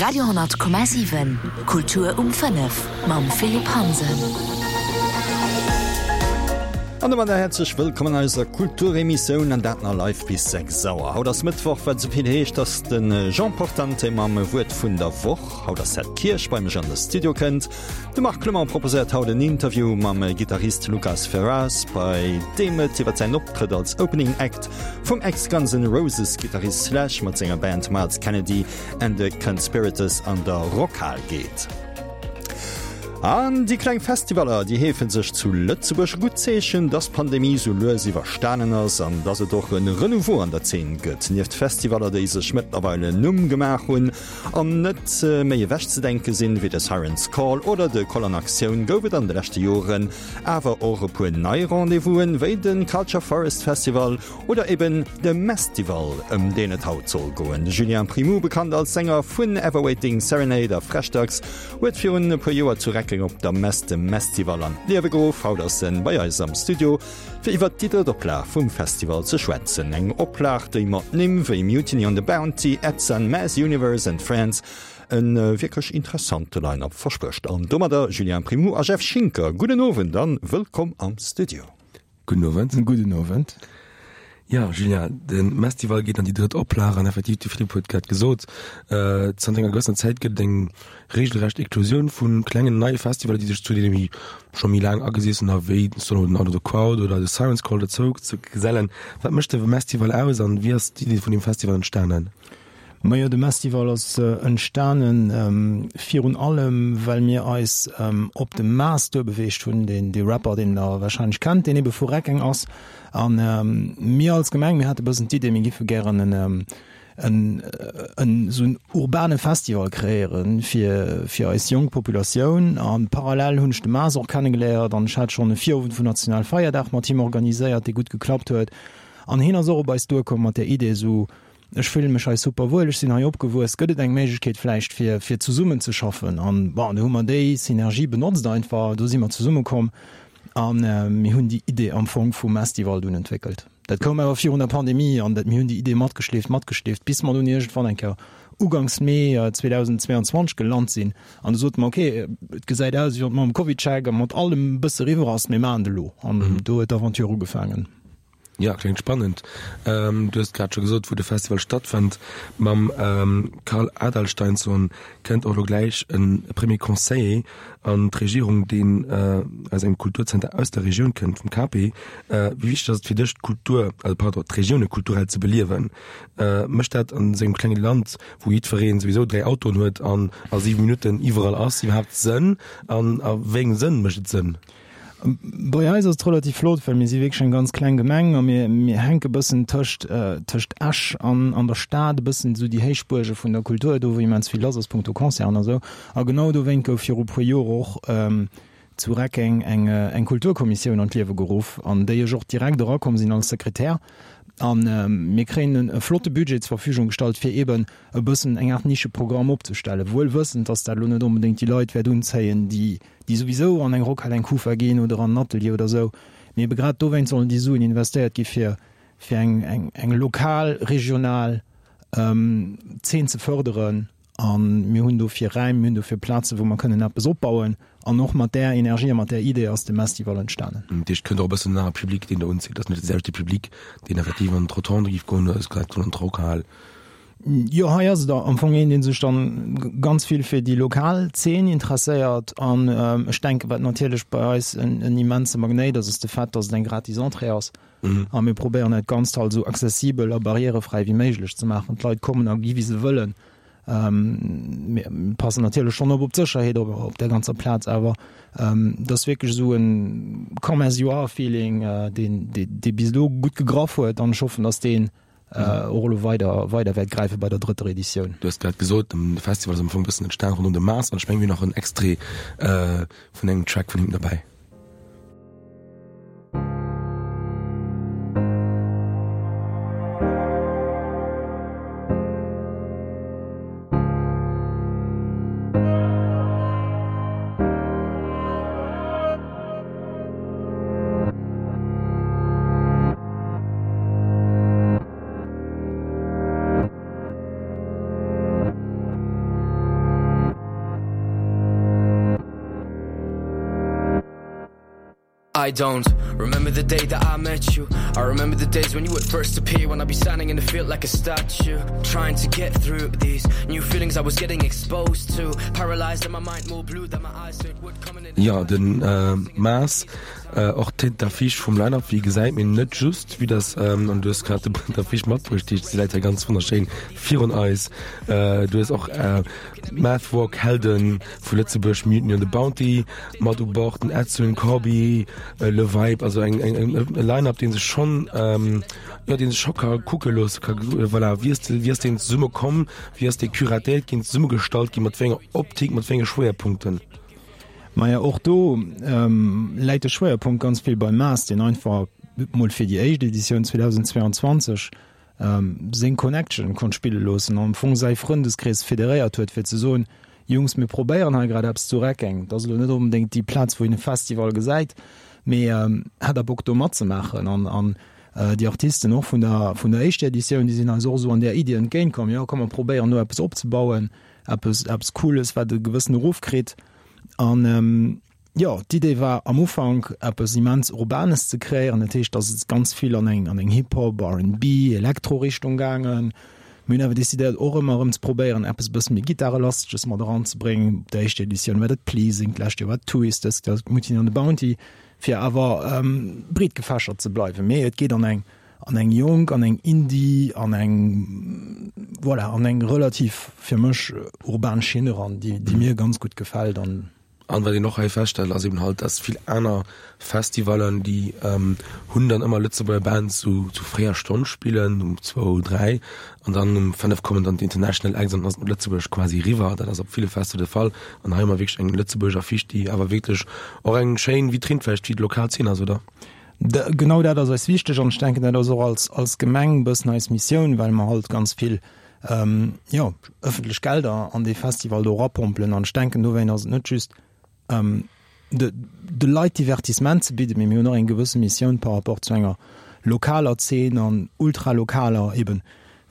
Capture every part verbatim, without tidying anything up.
Radio honnert Komma siwen, Kultur um fënnef mam Philippe Hansen. An domadder häerzlech wëllkomm an eiser Kulturemissioun, an dat nach live bis sechs Auer. Haut ass Mëttwoch, wat esou vill heescht, dass de Jean Portante mam Wuert vun der Woch, haut ass Ed Kirsch, bei mech an de Studio kënnt. De Marc Clement proposéiert haut en Interview mam Gittarist Lucas Ferraz, bei deem et iwwer säin Optrëtt als Opening Act vum Ex-Guns N' Roses Gittarist Slash mat senger Band Myles Kennedy and the Conspirators an der Rockhal geet. An déi kleng Festivaller, déi heefe sech zu Lëtzebuerg. E gutt Zeechen, dass d'Pandemie sou lues iwwerstanen ass an dass et och e Renouveau an der Zeen gëtt. Nieft Festivaller, déi sech mëttlerweil en Numm gemaach hunn an net méi ewechzedenke sinn, wéi de Siren's Call oder de Koll an Aktioun, gouf et an de leschte Joren awer och e puer nei Rendez-vousen, wéi de Culture Forest Festival oder eben de Messtival, ëm deen et haut soll goen. De Julien Primoux, bekannt als Sänger vun Everwaiting Serenade a Freshdags, huet virun e puer Joer zu Reckeng op der Mess de Messtival an d'Liewe geruff. Haut ass en bei eis am Studio, fir iwwert déi drëtt Oplag vum Festival ze schwätzen. Eng Oplag, déi mat Nimm wéi Mutiny on the Bounty, Edson, Mass Universe and Friends e wierklech interessante Line-Up versprécht. An domadder Julien Primoux a Jeff Schinker, gudden Owend an wëllkomm am Studio. Gudden Owend. Gudden Owend. Jo, Julien, de Mestival geet an déi drëtt Oplag an effektiv, de Philippe huet grad gesot, zanter enger gewëssener Zäit gëtt et eng regelrecht Eklosioun vu klengen neie Festivaler, déi sech zu deene méi scho méi laang agesessener wéi den Out of the Crowd oder de Siren's Call dozou ze gesellen. Wat mécht de Mestival aus an wéi ass d'Idee vun deem Festival entstanen? Majo, de Mestival ass entstanen virun allem, well mir eis op de Maas duerbeweegt hunn, deen dee Rapper, deen Der warscheinlech kennt, deen ebe vu Reckeng ass. A mir als Gemeng, mir hate bëssen d'Idee, mir giffe gären en en esou en urbane Festival kreéiere fir fir eis jonk Populatioun. A parallel hunn ech de Maas och kennegeléiert an ech hat schonn e Virowend vun Nationalfeierdag mat him organiséiert, dee gutt geklappt huet. An hien ass och op eis duerkomm mat där Idee, esou Ech fillen mech hei super wuel, ech sinn hei opgewuess, gëtt et eng Méiglechkeet vläicht fir fir zesummen ze schaffen? An bon, do hu mer déi Synergie benotzt einfach, do si mer zesumme komm a mir hunn déi Idee am Fong vum Mestival dunn entwéckelt. Dat koum awer virun der Pandemie an dat mir hunn déi Idee matgeschleeft, matgeschleeft, bis mer dunn iergendwann eng Kéier uganks Mee zweedausendzweeanzwanzeg gelant sinn an du sote mer, okay, et gesäit aus wéi wann et mam CovidCheck a mat allem e bësse eriwwer ass, mir maachen et elo. An do huet d'Aventure ugefaangen. Jo, kléngt spannend. Du hues grad scho gesot, wou de Festival stattfënnt. Mam Carl Adalsteinsson kënnt och elo gläich e Premier Conseiller an d'Regierung, deen aus engem Kulturzenter aus der Regioun kënnt, vum Cape. Wéi wichteg ass et fir dech, d'Kultur, also pardon, d'Regioune kulturell ze beliewen? Mécht dat an esou engem klenge Land, wou jiddweree souwisou dräi Autoen huet an a siwe Minutten iwwerall ass, iwwerhaapt Sënn? An a wéi engem Sënn mécht et Sënn? Bei eis ass et relativ flott, well mir si wierklech eng ganz kleng Gemeng a mir, mir hänke bëssen tëscht, tëscht Esch an, an der Stad, e bëssen esou déi Héichbuerge vun der Kultur, do wou immens vill lass ass punkto Concerten a sou. A genau dowéint gouf viru puer Joer och zu Reckeng eng, eng Kulturkommissioun an d'Liewe geruff, an déi ech och direkt erakomm sinn als Sekretär. A mir kréien e flotte Budget zur Verfügung gestallt, fir eeben e bëssen eng Aart Nischeprogramm opzestellen, wuel wëssend, dass dat elo net onbedéngt déi Leit wäert unzéien, déi, déi souwisou an eng Rockhal, eng Kufa ginn oder an en Atelier oder esou. Mee ebe grad dowéinst sollen déi Suen investéiert gi fir, fir eng, eng, eng lokal, regional Zeen ze fërderen. A mir hunn dofir Räim, mir hunn dofir Plazen, wou mer kënnen eppes opbauen. An och mat där Energie a mat där Idee ass de Mestival entstanen. Dat heescht, et kënnt och e bëssen en anere Public, deen do unzitt. Et ass net de selwechte Public, deen effektiv an d'Rotonde géif goen oder an d'Rockhal. Jo, hei ass et am Fong een, dee sech dann ganz vill fir déi lokal Zeen interesséiert. An ech denken, wat natierlech bei eis en immense Magnéit ass, ass de Fait, dass et eng gratis Entrée ass. A mir probéieren dat Ganzt halt esou accessibel a barrièrefräi wéi méiglech ze maachen. D'Leit kommen a gi wéi se wëllen. Mir passen natierlech schonn op op d'Sécherheet op op der ganzer Plaz, awer et ass wierklech esou en come as you are Feeling, deen dee bis elo gutt gegraff huet an ech hoffen, datt deen och elo weider weider wäert gräife bei der drëtter Editioun. Du hues grad gesot, de Festival ass am Fong e bëssen entstan ronderëm de Mars an ech mengen mir hunn nach en Extrait vun engem Track vun him derbäi. I don't remember the day that I met you I remember the days when you would first appear When I'd be standing in the field like a statue Trying to get through these new feelings I was getting exposed to Paralyzed and my mind more blue than my eyes so it would come in Ja, den äh, Maas äh, och Tête d'affiche vum Line-Up, wéi gesäit, mee net just, wéi das, ähm, an du hues grad d'Affiche matbruecht, déi läit hei ganz wonnerschéin virun eis. Äh, du hues och äh, Math-Rock Helden vu Lëtzebuerg, Mutiny on the Bounty mat u Bord, den Edsun, Corbi, äh, Le Vibe, also eng, eng, eng, e Line-Up, dee sech schonn, ähm, jo, dee sech scho ka kucke loosse ka. Voilà, wéi ass, wéi ass deen zesumme komm, wéi ass dee curatéiert ginn, zesummegestallt ginn, mat wéi enger Optik, mat wéi enge Schwéierpunkten? Maja, och do läit de Schwéierpunkt ganz vill beim Maas, deen einfach mol fir déi éischt Editioun zweedausendzweeanzwanzeg seng Connection konnt spille loossen an am Fong säi Frëndeskrees federéiert huet, fir ze soen, Jungs, mir probéieren hei grad eppes zu Reckeng. Dat ass elo net onbedéngt déi Plaz, wou een e Festival gesäit, mee hätt der Bock do matzemaachen? An an déi Artisten och vun der vun der éischter Editioun, déi sinn eis och esou an där Iddi entgéintkomm, Jo, komm mer probéieren do eppes opzebauen, eppes eppes Cooles, wat e gewëssene Ruff kritt. An jo, d'Idee war am Ufank eppes immens Urbanes ze kreéieren. Dat heescht, dass et ganz vill an eng an eng Hip-Hop, R and B, Elektro-Richtung gaangen. Mir hunn awer decidéiert och ëmmer erëm ze probéieren eppes e bësse méi Gittarelasteges mat eranzebréngen. Op der éischter Editioun war dat Pleasing, d'lescht Joer war et Twist, dëst Joer Mutiny on the Bounty, fir awer breet gefächert ze bleiwen. Mee et geet an eng an eng jonk, an eng Indie, an eng, voilà, an eng relativ fir mech urban Schinn eran, déi déi mir ganz gutt gefält an. An wat een och hei feststellt, ass eben halt, dass vill aner Festivallen, déi hunn dann ëmmer Lëtzebuerger Bands zu zu fréier Stonn spillen, um zwou, dräi, an dann um fënnef kommen dann d'International Acts an dann ass et mat Lëtzebuerg quasi eriwwer. Dat ass op ville Festival de Fall. An hei hu mer wierklech eng Lëtzebuerger Affiche, déi awer wierklech och eng schéin Vitrinn vläicht fir d'lokal Zeen ass, oder? Genau dat ass eis wichteg an ech denken, dat ass och als als Gemeng e bëssen eis Missioun, well mer halt ganz vill, jo, ëffentlech Gelder an dee Festival do erapompelen. An ech denken, dowéint ass et net just de de Leit Divertissement ze bidden, mee mir hunn och eng gewësse Missioun par rapport zu enger lokaler Zeen an ultralokaler eben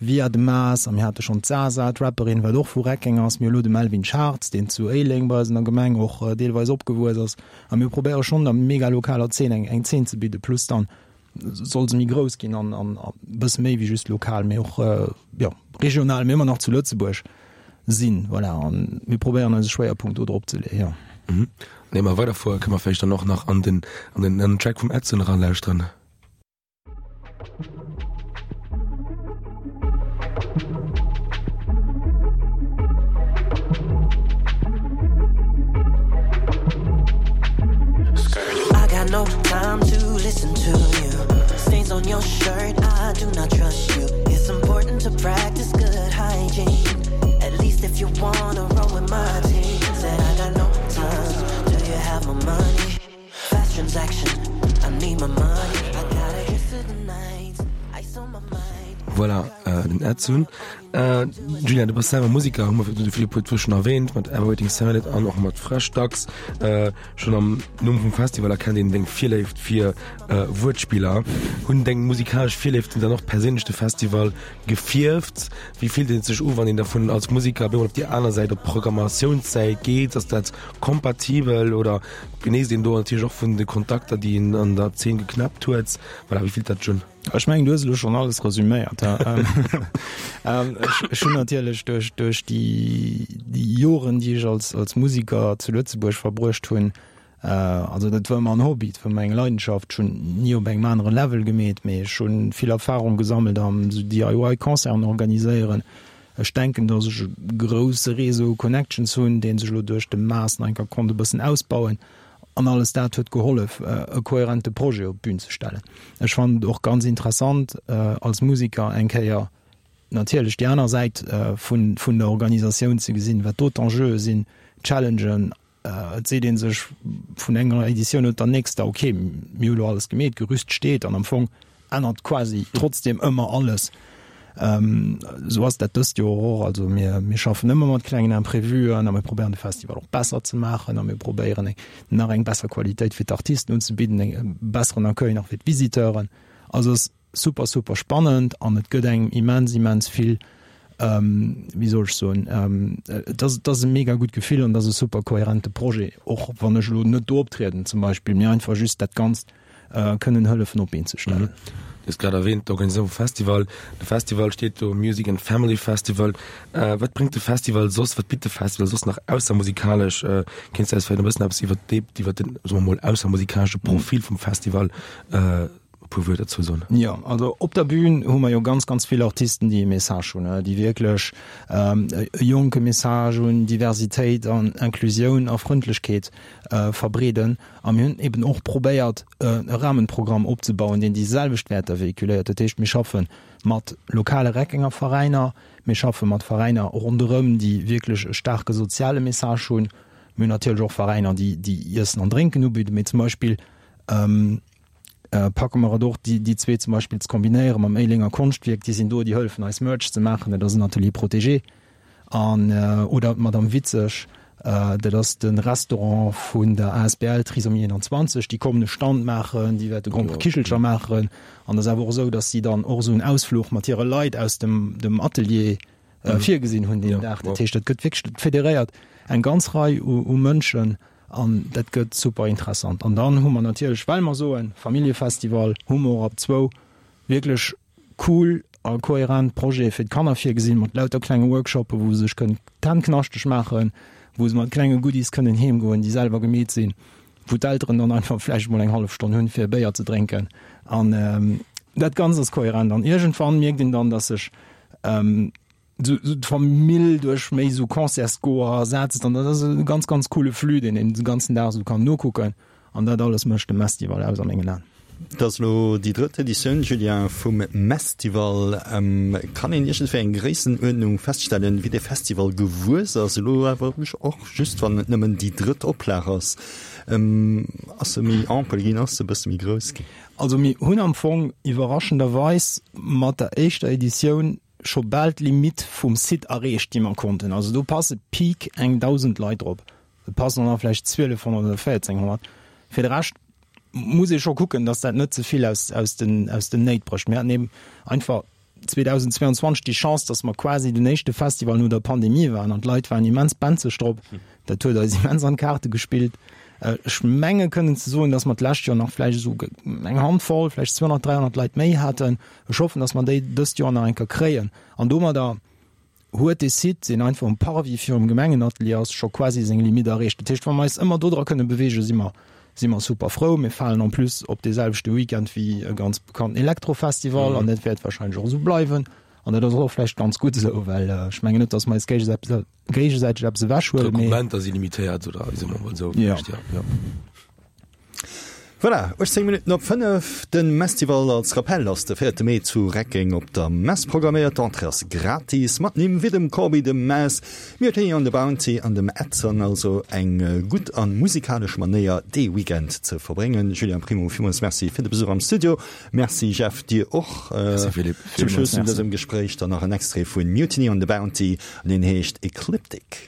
via de Maas. A mir hate schonn d'Zaza, d'Rapperin, wat och vu Reckeng ass. Mir hu lo de Melvin Schartz, deen zu Éileng bei eis an der Gemeng och deelweis opgewuess ass. A mir probéiere schonn der mega lokaler Zeen eng eng Zeen ze bidden, plus dann soll se méi grouss ginn an an e bësse méi wéi just lokal, mee och jo regional, mee ëmmer nach zu Lëtzebuerg sinn. Voilà, an mir probéieren eise Schwéierpunkt do drop ze leeën, jo. Mhm. Ier mer weiderfuere kënne mer vläicht dann och nach an den an den an den Track vum Edson eralauschteren. I got no time to listen to you. Stains on your shirt, I do not trust you. It's important to practice good hygiene. At least if you wanna roll with my team. Said I got no time. Do you have my money? Fast transaction, I need my money. I gotta get through the night. Ice on my mind. Voilà, äh, den Edson. Äh, Julian, du bass selwer Musiker, hu mer de Philippe huet schonn erwähnt, mat Everwaiting Salad an och mat Fresh Ducks. Äh, schonn am Numm vum Festival erkennt een deng Virléift fir äh, Wuertspiller. Hunn deng musikalesch Virléiften dann och perséinlech de Festival gefierft? Wéi fillt et sech u, wann een davun als Musiker op eemol op déi aner Säit, op d'Programmatiounssäit geet? Ass dat kompatibel oder genéisst een do natierlech och vun de Kontakter, déi een an der Zeen geknäppt huet? Voilà, wéi fillt dat sech un? Ech mengen, du hues elo schonn alles resüméiert. Ech hunn natierlech duerch duerch déi déi Joren, déi ech als als Musiker zu Lëtzebuerg verbruecht hunn, also dat war ëmmer en Hobby, dat war ëmmer eng Leidenschaft, ech hunn ni op engem anere Level gemeet, mee ech hu vill Erfarung gesammelt am esou D I Y Concerten organiséieren. Ech denken, datt ech e grousse Réseau u Connections hunn, dee sech elo duerch de Maas nach eng Kéier konnt e bëssen ausbauen. An alles dat huet gehollef, e kohärente Projet op d'Bün ze stellen. Ech fannen et och ganz interessant, als Musiker eng Kéier natierlech déi aner Säit vun vun der Organisatioun ze gesinn, wat do d'Enjeue sinn, d'Challengen. Et seet ee sech vun enger Editioun op der nächster, okay, mir hu lo alles gemeet, d'Gerüst steet an am Fong ännert quasi trotzdem ëmmer alles. Esou ass dat dëst Joer och. Also mir, mir schaffen ëmmer mat klengen Imprevuen a mir probéieren de Festival och besser ze maachen a mir probéieren eng, nach eng besser Qualitéit fir d'Artisten unzebidden, eng, e besseren Accueil nach fir d'Visiteuren. Also ass super, super spannend an et gëtt engem immens, immens vill wéi soll ech soen, et ass, et ass e mega gutt Gefill an et ass e super kohärente Projet, och wann ech elo net do optrieden zum Beispill, mee einfach just dat Ganzt kënnen hëllefen op d'Been ze stellen. Du hues grad erwähnt, d'Organisatioun vum Festival. De Festival steet do, Music and Family Festival. Wat bréngt de Festival soss, wat bitt de Festival soss nach aussermusikalesch? Kéints du eis vläicht e bëssen eppes iwwer dee, iwwer den, soe mer mol, aussermusikalesche Profil vum Festival e puer Wuerter dozou soen? Jo, also op der Bühn hu mer jo ganz, ganz vill Artisten, déi e Message hunn, déi wierklech e jonke Message hunn, Diversitéit an Inclusioun a Frëndlechkeet verbreeden. A mir hunn eben och probéiert, e Rahmenprogramm opzebauen, deen déi selwecht Wäerter véhiculéiert. Dat heescht, mir schaffe mat lokale Reckenger Veräiner, mir schaffe mat Veräiner ronderëm, déi wierklech e staarke soziale Message hunn. Mir hunn natierlech och Veräiner, déi déi Iessen an Drénken ubidden, mee zum Beispill packe mer et och, déi déi zwee zum Beispill ze kombinéiere mam Éilenger Konschtwierk. Déi sinn do, déi hëllefen eis Merch ze maachen, dat ass en Atelier protégé. An oder d'Madame Witzeg, dat ass de Restaurant vun der asbl Trisomie einundzwanzeg, déi kommen e Stand maachen, déi wäerte Gromperekichelcher maachen. An et ass awer och esou, datt si dann och esou en Ausfluch mat hire Leit aus dem dem Atelier virgesinn hunn deen Dag. Dat heescht, dat gëtt wierklech, dat federéiert eng ganz Rei u u Mënschen an dat gëtt super interessant. An dann hu mer natierlech, well mer soen, Familljefestival, hu mer och ab zwou wierklech cool a kohärent Projete fir d'Kanner virgesinn, mat lauter klenge Workshoppen, wou se sech kënnen d'Hänn knaschteg maachen, wou se mat klenge Goodies kënnen heem goen, déi selwer gemeet sinn, wou d'Elteren dann einfach vläicht mol eng hallef Stonn hunn, fir e Béier ze drénken. An dat Ganzt ass kohärent. An iergendwann mierkt een dann, dass sech sou d'Famill duerch méi sou Concertsgoer ersetzt an dat ass e ganz ganz coole Flux, deen een de ganzen Dag sou kann nokucken an dat alles mécht de Mestival aus a mengen Aen. Et ass elo déi drëtt Editioun, Julien, vum Mestival. Kann een iergendwéi eng Gréissenuerdnung feststellen, wéi dee Festival gewuess ass? Elo awer och just wann et nëmmen déi drëtt Oplag ass. Ass e méi ampel ginn, ass e bësse méi grouss ginn? Also mir hunn am Fong iwwerraschenderweis mat der éischter Editioun scho bal d'Limitt vum Site erreecht, déi mer konnten. Also do passe Peak eng dausend Leit drop. Et passen der vläicht zwielefhonnert oder véierzénghonnert. Fir de Rescht muss ee scho kucken, datt dat net ze vill aus, aus den, aus den Néit brécht. Mir haten eben einfach zweedausendzweiundzwanzeg déi Chance, datt mer quasi den éischte Festival no der Pandemie waren an d'Leit waren immens benzeg drop. Dat huet eis immens an d'Kaarte gespillt. Ech menge kënnen ze soen, datt mer d'lescht Joer nach vläicht esou eng Handvoll, vläicht zweehonnert, dräihonnert Leit méi haten. Ech hoffen, datt mer déi dëst Joer nach eng Kéier kréien. An domadder huet dee Site, deen einfach um Parvis virum Gemengenatelier ass, scho quasi seng Limitt erreecht. Dat heescht, wa mer eis ëmmer dodra kënne beweegen, si mer, si mer super frou. Mir falen en plus op dee selwechte Weekend wéi e ganz bekannten Elektrofestival an dat wäert wahrscheinlech och esou bleiwen. An dat ass och vläicht ganz gutt esou, well ech mengen net, datt mer eis géigesäiteg eppes ewechhuelen, mee. D'Rekrutmenter si limitéiert, oder soe mer emol esou. Jo. Jo. Voilà, uechtzéng Minutten op fënnef. De Mestival als Rappell ass de véierte Mee zu Reckeng op der Mess programméiert. D'Entrée ass gratis. Mat Nimm wéi dem Corbi, dem Mess, Mutiny on the Bounty an dem Edson. Also eng gutt a musikalesch Manéier dee Weekend ze verbréngen. Julien Primo, villmools Merci fir de Besuch am Studio. Merci Jeff, dir och. Merci Philippe. Zum Schluss vun dësem Gespréich dann nach en Extrait vu Mutiny on the Bounty an deen heescht Ecliptic.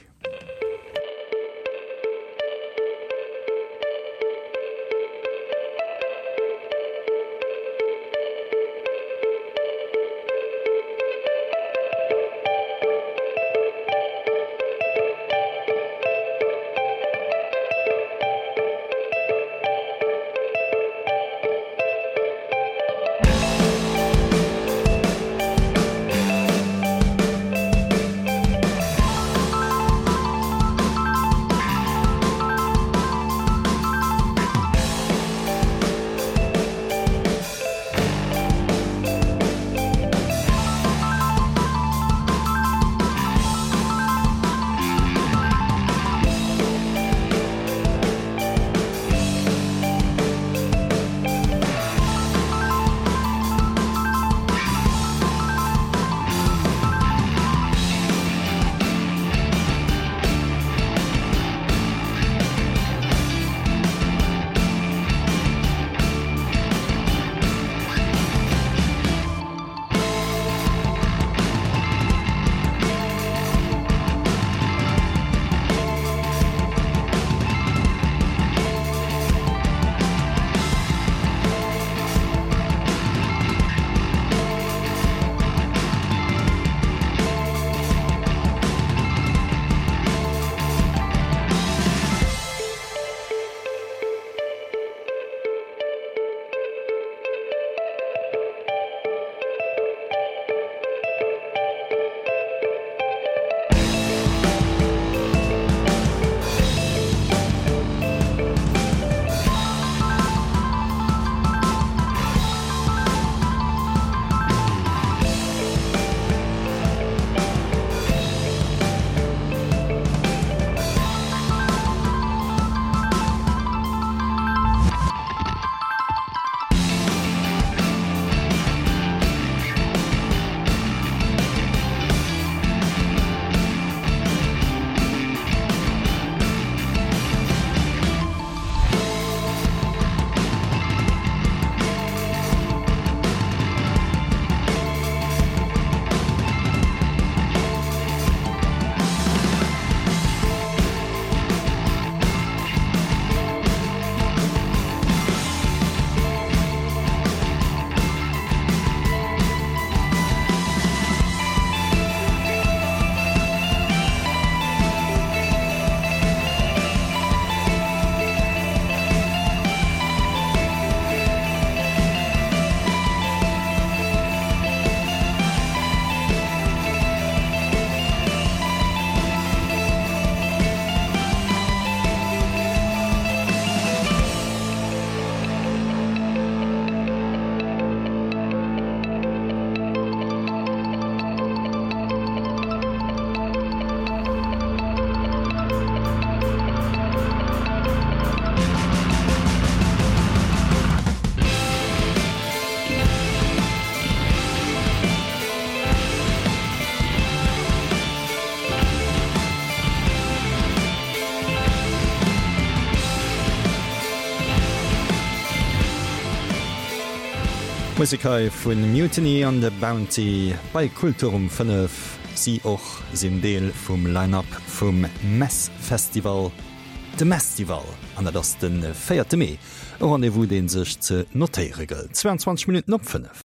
Musek hei vu Mutiny on the Bounty bei Kultur um fënnef. Si och sinn Deel vum Line-Up vum Mess Festival, de Messtival, an dat ass de véierte Mee. E Rendez-vous, dee sech ze notéiere gëllt. zweiundzwanzeg Minutten op fënnef.